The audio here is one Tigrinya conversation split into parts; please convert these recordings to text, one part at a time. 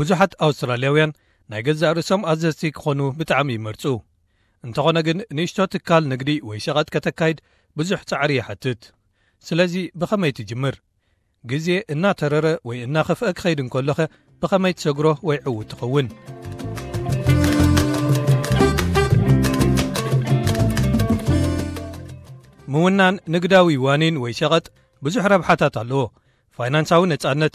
ብዙሓት ኣውስትራልያውያን ናይ ገዛእ ርእሶም ኣዘዝቲ ክኾኑ ብጣዕሚ ይመርጹ። እንተኾነ ግን ንእሽቶ ትካል ንግዲ ወይ ሸቐጥ ከተካይድ ብዙሕ ጻዕሪ ይሓትት። ስለዚ ብኸመይ ትጅምር? ግዜ እናተረረ ወይ እናኸፍአ ክኸይድ እንከሎኸ ብኸመይ ትሰግሮ ወይ ዕዉት ትኸውን? ምውናን ንግዳዊ ዋኒን ወይ ሸቐጥ ብዙሕ ረብሓታት ኣለዎ። ፋይናንሳዊ ነጻነት፣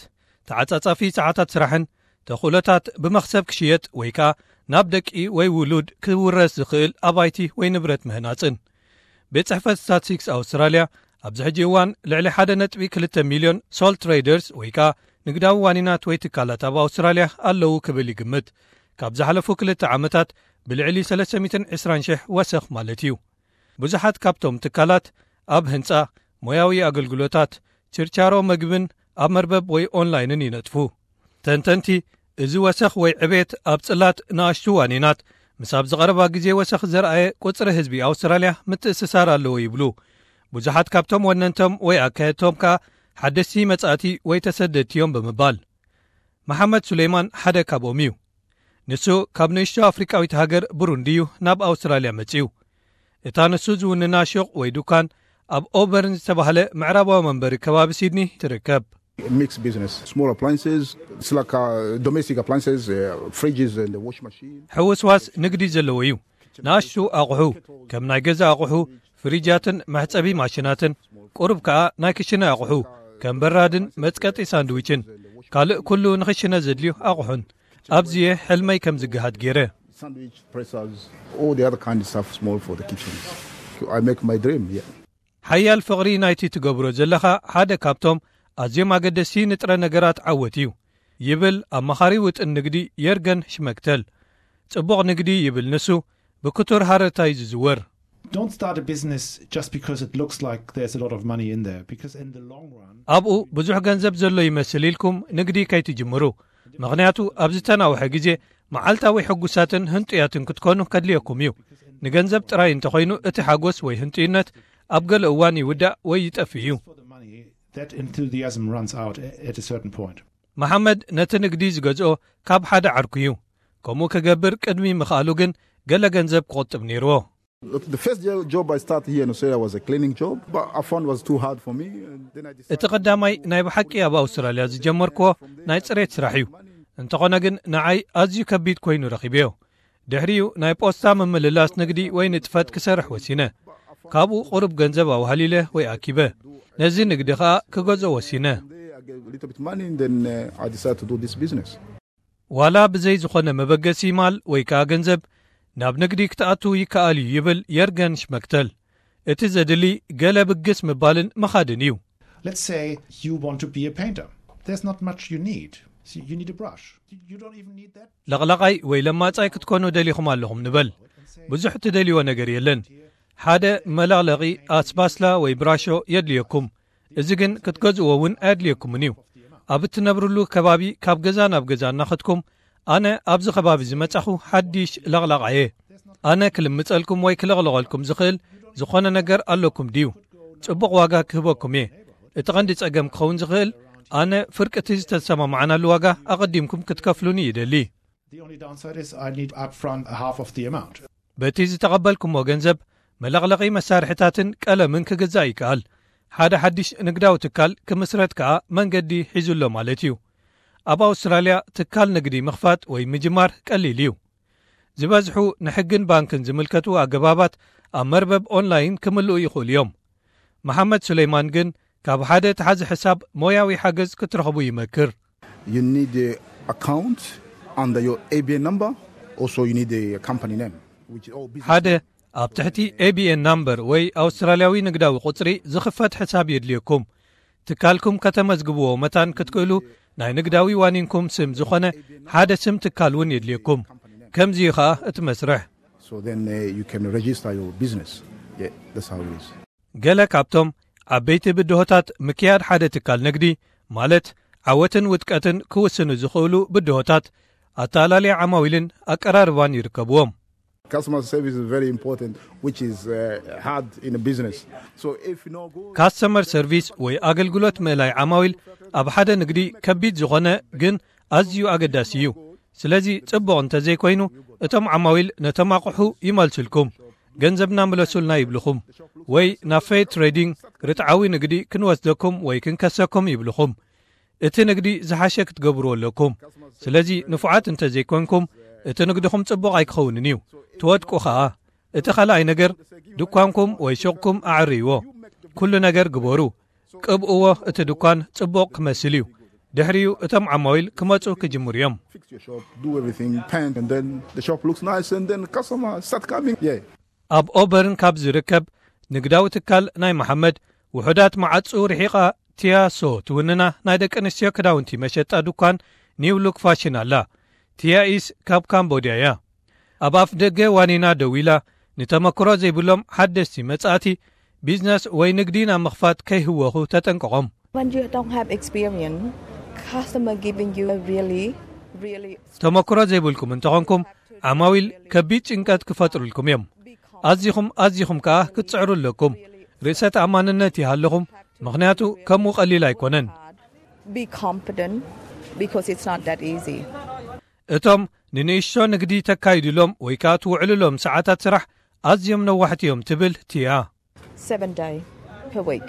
ተዓጻጻፊ ሰዓታት ስራሕን ተኽእሎታት ብመኽሰብ ክሽየጥ ወይ ከኣ ናብ ደቂ ወይ ውሉድ ክውረስ ዝኽእል ኣባይቲ ወይ ንብረት ምህናጽን። ቤት ጽሕፈት ስታትስቲክስ ኣውስትራልያ ኣብዚ ሕጂ እዋን ልዕሊ ሓደ ነጥቢ ክልተ ሚልዮን ሶል ትሬደርስ ወይ ከኣ ንግዳዊ ዋኒናት ወይ ትካላት ኣብ ኣውስትራልያ ኣለዉ ክብል ይግምት። ካብ ዝሓለፉ ክልተ ዓመታት ብልዕሊ ሰለስተ ሚእትን ዕስራን ሽሕ ወሰኽ ማለት እዩ። ብዙሓት ካብቶም ትካላት ኣብ ህንጻ፣ ሞያዊ ኣገልግሎታት፣ ችርቻሮ መግብን ኣብ መርበብ ወይ ኦንላይንን ይነጥፉ። ተንተንቲ፣ እዚ ወሰኽ ወይ ዕቤት ኣብ ጽላት ንኣሽቱ ዋኒናት ምስ ኣብዚ ቀረባ ግዜ ወሰኽ ዘርኣየ ቁጽሪ ህዝቢ ኣውስትራልያ ምትእስሳር ኣለዎ ይብሉ። ብዙሓት ካብቶም ወነንቶም ወይ ኣካየድቶም ከኣ ሓደስቲ መጻእቲ ወይ ተሰደድቲ እዮም ብምባል። መሓመድ ሱሌይማን ሓደ ካብኦም እዩ። ንሱ ካብ ንእሽቶ ኣፍሪቃዊት ሃገር ብሩንዲ እዩ ናብ ኣውስትራልያ መጺኡ። እታ ንሱ ዝውንና ሹቕ ወይ ዱካን ኣብ ኦበርን ዝተባህለ ምዕራባዊ መንበሪ ከባቢ ሲድኒ ትርከብ። Mixed business, small appliances, it's like uh, domestic appliances, uh, fridges and the washing machine. ሕውስዋስ ንግዲ ዘለዎ እዩ። ንኣሽቱ ኣቑሑ ከም ናይ ገዛ ኣቑሑ፣ ፍሪጃትን መሕጸቢ ማሽናትን፣ ቁሩብ ከኣ ናይ ክሽነ ኣቑሑ ከም በራድን መጽቀጢ ሳንድዊችን፣ ካልእ ኩሉ ንኽሽነ ዘድልዩ ኣቑሑን። ኣብዚየ ሕልመይ ከም ዝገሃድ ገይረ። Sandwich pressers, all the other kind of stuff small for the kitchens. I make my dream, yeah. ሓያል ፍቕሪ ናይቲ ትገብሮ ዘለኻ ሓደ ካብቶም ኣዝዮም ኣገደስቲ ንጥረ ነገራት ዓወት እዩ ይብል ኣማኻሪ ውጥን ንግዲ የርገን ሽመክተል። ጽቡቕ ንግዲ ይብል ንሱ ብክቱር ሃረርታ እዩ ዝዝወር። Don't start a business just because it looks like there's a lot of money in there, because in the long run, ኣብኡ ብዙሕ ገንዘብ ዘሎ ይመስል ኢልኩም ንግዲ ከይትጅምሩ። ምኽንያቱ ኣብ ዝተናውሐ ግዜ መዓልታዊ ሕጉሳትን ህንጡያትን ክትኮኑ ከድልየኩም እዩ። ንገንዘብ ጥራይ እንተኾይኑ እቲ ሓጎስ ወይ ህንጡይነት ኣብ ገለ እዋን ይውዳእ ወይ ይጠፍእ እዩ። for the money, that enthusiasm runs out at a certain point. መሓመድ ነቲ ንግዲ ዝገዝኦ ካብ ሓደ ዓርኩ እዩ። ከምኡ ክገብር ቅድሚ ምኽኣሉ ግን ገለ ገንዘብ ክቑጥብ ነይርዎ። The first jo- job I started here in Australia was a cleaning job, but I found it was too hard for me. And then I decided እቲ ቀዳማይ ናይ ብሓቂ ኣብ ኣውስትራልያ ዝጀመርክዎ ናይ ጽሬት ስራሕ እዩ። እንተኾነ ግን ንዓይ ኣዝዩ ከቢድ ኮይኑ ረኺበዮ። ድሕሪኡ ናይ ፖስታ ምምልላስ ንግዲ ወይ ንጥፈት ክሰርሕ ወሲነ። ካብኡ ቁሩብ ገንዘብ ኣውሃሊለ ወይ ኣኪበ። ነዚ ንግዲ ኸኣ ክገዝኦ ወሲነ። There I get a little bit money, and then uh, I decided to do this business. ዋላ ብዘይ ዝኾነ መበገሲ ማል ወይ ከኣ ገንዘብ ናብ ንግዲ ክትኣቱ ይከኣል እዩ ይብል የርገን ሽመክተል። እቲ ዘድሊ ገለ ብግስ ምባልን ምኻድን እዩ። Let's say you want to be a painter. There's not much you need. So you need a brush. You- You don't even need that. ለቕላቓይ ወይ ለማጻይ ክትኮኑ ደሊኹም ኣለኹም ንበል። ብዙሕ ትደልይዎ ነገር የለን። ሓደ መለቕለቒ ኣስባስላ ወይ ብራሾ የድልየኩም። እዚ ግን ክትገዝእዎ እውን ኣየድልየኩምን እዩ። ኣብ እትነብርሉ ከባቢ ካብ ገዛ ናብ ገዛ እናኸድኩም፣ ኣነ ኣብዚ ከባቢ ዝመጻኹ ሓዲሽ ለቕላቓየ፣ ኣነ ክልምጸልኩም ወይ ክለቕለቐልኩም ዝኽእል ዝኾነ ነገር ኣለኩም ድዩ? ጽቡቕ ዋጋ ክህበኩም እየ። እቲ ቐንዲ ጸገም ክኸውን ዝኽእል፣ ኣነ ፍርቂ እቲ ዝተሰማማዕናሉ ዋጋ ኣቐዲምኩም ክትከፍሉኒ ይደሊ። The only downside is I need upfront half of the amount. በቲ ዝተቐበልኩሞ ገንዘብ መለቕለቒ መሳርሕታትን ቀለምን ክግዛእ ይከኣል። ሓደ ሓድሽ ንግዳዊ ትካል ክምስረት ከኣ መንገዲ ሒዙ ኣሎ ማለት እዩ። ኣብ ኣውስትራልያ ትካል ንግዲ ምኽፋት ወይ ምጅማር ቀሊል እዩ። ዝበዝሑ ንሕግን ባንክን ዝምልከቱ ኣገባባት ኣብ መርበብ ኦንላይን ክምልኡ ይኽእሉ እዮም። መሓመድ ሱለይማን ግን ካብ ሓደ ተሓዚ ሕሳብ ሞያዊ ሓገዝ ክትረኽቡ ይመክር። You need an account under your A B N number. Also, you need a company name, which is all business. ሓደ ኣብ ትሕቲ ኤ ቢ ኤን ናምበር ወይ ኣውስትራልያዊ ንግዳዊ ቁጽሪ ዝኽፈት ሕሳብ የድልየኩም። ትካልኩም ከተመዝግብዎ መታን ክትክእሉ ናይ ንግዳዊ ዋኒንኩም ስም ዝኾነ ሓደ ስም ትካል እውን የድልየኩም። ከምዚ እዩ ኸኣ እቲ መስርሕ። So then uh, you can register your business. Yeah, that's how it is. ገለ ካብቶም ዓበይቲ ብድሆታት ምክያድ ሓደ ትካል ንግዲ ማለት ዓወትን ውድቀትን ክውስኑ ዝኽእሉ ብድሆታት ኣተኣላልያ ዓማዊልን ኣቀራርባን ይርከብዎም። Customer service is very important, which is uh, hard in a business. So if you know go ካስተመር ሰርቪስ ወይ ኣገልግሎት ምእላይ ዓማዊል ኣብ ሓደ ንግዲ ከቢድ ዝኾነ ግን ኣዝዩ ኣገዳሲ እዩ። ስለዚ ጽቡቕ እንተዘይኮይኑ፣ እቶም ዓማዊል ነቶም ኣቑሑ ይመልሱልኩም፣ ገንዘብና ምለሱልና ይብልኹም፣ ወይ ናብ ፌር ትሬዲንግ ርትዓዊ ንግዲ ክንወስደኩም ወይ ክንከሰኩም ይብልኹም። እቲ ንግዲ ዝሓሸ ክትገብርዎ ኣለኩም። ስለዚ ንፉዓት እንተዘይኮንኩም፣ እቲ ንግድኹም ጽቡቕ ኣይክኸውንን እዩ፣ ትወድቁ ኸኣ። እቲ ካልኣይ ነገር፣ ድኳንኩም ወይ ሹቕኩም ኣዕርይዎ። ኩሉ ነገር ግበሩ። ቅብእዎ፣ እቲ ድኳን ጽቡቕ ክመስል እዩ። ድሕሪኡ እቶም ዓማዊል ክመጹ ክጅምሩ እዮም። Fix your shop, do everything, paint, and then the shop looks nice, and then customer start coming. Yeah. ኣብ ኦበርን ካብ ዝርከብ ንግዳዊ ትካል ናይ መሓመድ፣ ውሑዳት መዓጹ ርሒቓ፣ ቲያሶ ትውንና ናይ ደቂ ኣንስትዮ ክዳውንቲ መሸጣ ድኳን ኒው ሉክ ፋሽን ኣላ። ቲያኢስ ካብ ካምቦድያ እያ። ኣብ ኣፍ ደገ ዋኒና ደው ኢላ፣ ንተመክሮ ዘይብሎም ሓደስቲ መጻእቲ ቢዝነስ ወይ ንግዲ ናብ ምኽፋት ከይህወኹ ተጠንቀቖም። When you don't have experience, customer giving you a really, really ተመክሮ ዘይብልኩም እንተኾንኩም፣ ዓማዊል ከቢድ ጭንቀት ክፈጥሩልኩም እዮም። ኣዚኹም ኣዚኹም ከኣ ክትጽዕሩ ኣለኩም። ርእሰ ተኣማንነት ይሃለኹም፣ ምኽንያቱ ከምኡ ቀሊል ኣይኮነን። Be confident because it's not that easy. እቶም ንንእሽቶ ንግዲ ተካይዱሎም ወይ ከኣ ትውዕሉሎም ሰዓታት ስራሕ ኣዝዮም ነዋሕቲ እዮም ትብል ቲያ። Seven day per week.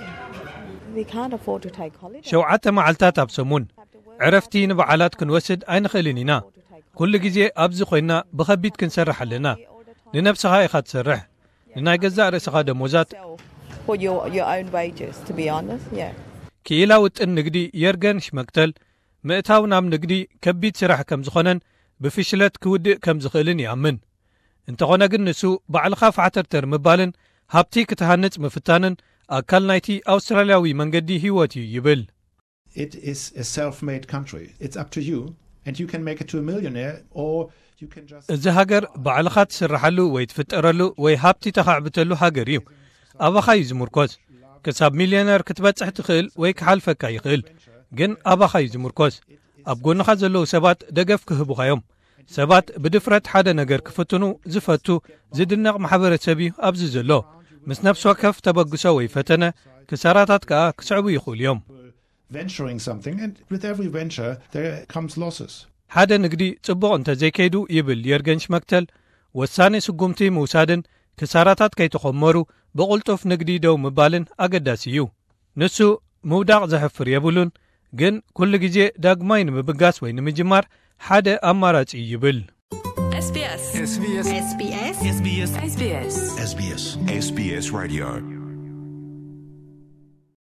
We can't afford to take holiday. ሸውዓተ መዓልታት ኣብ ሰሙን ዕረፍቲ ንበዓላት ክንወስድ ኣይንኽእልን ኢና። ኩሉ ግዜ ኣብዚ ኮይና ብኸቢድ ክንሰርሕ ኣለና። ንነብስኻ ኢኻ ትሰርሕ፣ ንናይ ገዛእ ርእስኻ ደሞዛት። Sell for your, your own wages, to be honest. Yeah. ክኢላ ውጥን ንግዲ የርገን ሽመክተል፣ ምእታው ናብ ንግዲ ከቢድ ስራሕ ከም ዝኾነን ብፍሽለት ክውድእ ከም ዝኽእልን ይኣምን። እንተኾነ ግን ንሱ፣ ባዕልኻ ፋሕተርተር ምባልን ሃብቲ ክትሃንጽ ምፍታንን ኣካል ናይቲ ኣውስትራልያዊ መንገዲ ህይወት እዩ ይብል። It is a self-made country. It's up to you, and you can make it to a millionaire, or you can just እዚ ሃገር ባዕልኻ ትስርሓሉ ወይ ትፍጠረሉ ወይ ሃብቲ ተኻዕብተሉ ሃገር እዩ። ኣባኻ እዩ ዝምርኮስ። ክሳብ ሚልዮነር ክትበጽሕ ትኽእል ወይ ክሓልፈካ ይኽእል፣ ግን ኣባኻ እዩ ዝምርኮስ። ኣብ ጎንኻ ዘለዉ ሰባት ደገፍ ክህቡኻ እዮም። ሰባት ብድፍረት ሓደ ነገር ክፍትኑ ዝፈቱ ዝድነቕ ማሕበረሰብ እዩ ኣብዚ ዘሎ። ምስ ነፍሲ ወከፍ ተበግሶ ወይ ፈተነ፣ ክሳራታት ከኣ ክስዕቡ ይኽእሉ እዮም። Venturing something, and with every venture there comes losses. ሓደ ንግዲ ጽቡቕ እንተዘይከይዱ፣ ይብል የርገን ሽመክተል፣ ወሳኒ ስጉምቲ ምውሳድን ክሳራታት ከይተኾመሩ ብቕልጡፍ ንግዲ ደው ምባልን ኣገዳሲ እዩ። ንሱ ምውዳቕ ዘሕፍር የብሉን፣ ግን ኩሉ ግዜ ዳግማይ ንምብጋስ ወይ ንምጅማር ሓደ ኣማራጺ እዩ ይብል። SBS SBS SBS SBS SBS SBS SBS Radio